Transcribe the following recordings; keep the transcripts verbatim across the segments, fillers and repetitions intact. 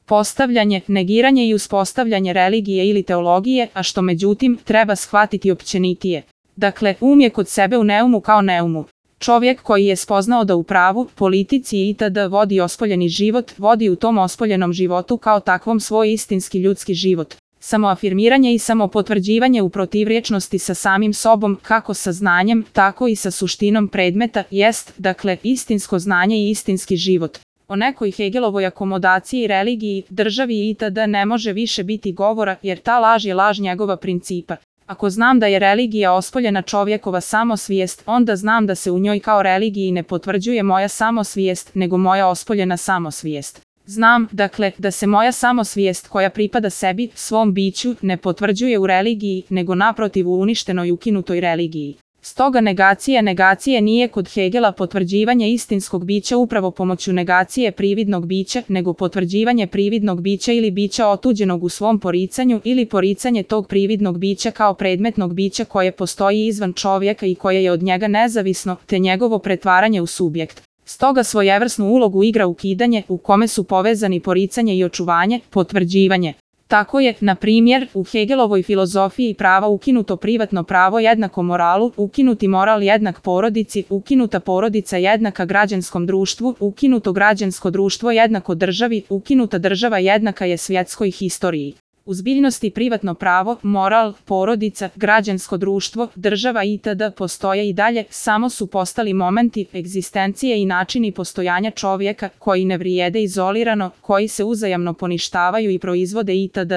postavljanje, negiranje i uspostavljanje religije ili teologije, a što međutim treba shvatiti općenitije. Dakle, um je kod sebe u neumu kao neumu. Čovjek koji je spoznao da u pravu, politici itd. Vodi ospoljeni život, vodi u tom ospoljenom životu kao takvom svoj istinski ljudski život. Samoafirmiranje i samopotvrđivanje u protivrječnosti sa samim sobom, kako sa znanjem, tako i sa suštinom predmeta, jest, dakle, istinsko znanje i istinski život. O nekoj Hegelovoj akomodaciji, religiji, državi itd. Ne može više biti govora, jer ta laž je laž njegova principa. Ako znam da je religija ospoljena čovjekova samosvijest, onda znam da se u njoj kao religiji ne potvrđuje moja samosvijest, nego moja ospoljena samosvijest. Znam, dakle, da se moja samosvijest koja pripada sebi, svom biću, ne potvrđuje u religiji, nego naprotiv u uništenoj ukinutoj religiji. Stoga negacija negacije nije kod Hegela potvrđivanje istinskog bića upravo pomoću negacije prividnog bića, nego potvrđivanje prividnog bića ili bića otuđenog u svom poricanju ili poricanje tog prividnog bića kao predmetnog bića koje postoji izvan čovjeka i koje je od njega nezavisno, te njegovo pretvaranje u subjekt. Stoga svojevrsnu ulogu igra ukidanje, u kome su povezani poricanje i očuvanje, potvrđivanje. Tako je, na primjer, u Hegelovoj filozofiji prava ukinuto privatno pravo jednako moralu, ukinuti moral jednak porodici, ukinuta porodica jednaka građanskom društvu, ukinuto građansko društvo jednako državi, ukinuta država jednaka je svjetskoj historiji. U zbiljnosti privatno pravo, moral, porodica, građansko društvo, država itd. Postoje i dalje, samo su postali momenti egzistencije i načini postojanja čovjeka koji ne vrijede izolirano, koji se uzajamno poništavaju i proizvode itd.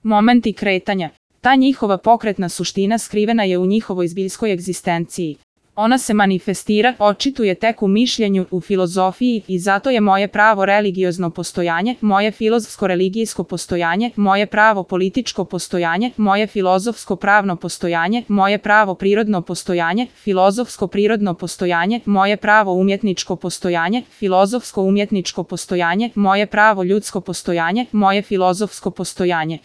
Momenti kretanja. Ta njihova pokretna suština skrivena je u njihovoj zbiljskoj egzistenciji. Ona se manifestira, očituje tek u mišljenju, u filozofiji i zato je moje pravo religiozno postojanje, moje filozofsko-religijsko postojanje, moje pravo političko postojanje, moje filozofsko-pravno postojanje, moje pravo prirodno postojanje, filozofsko-prirodno postojanje, moje pravo umjetničko postojanje, filozofsko-umjetničko postojanje, moje pravo ljudsko postojanje, moje filozofsko postojanje.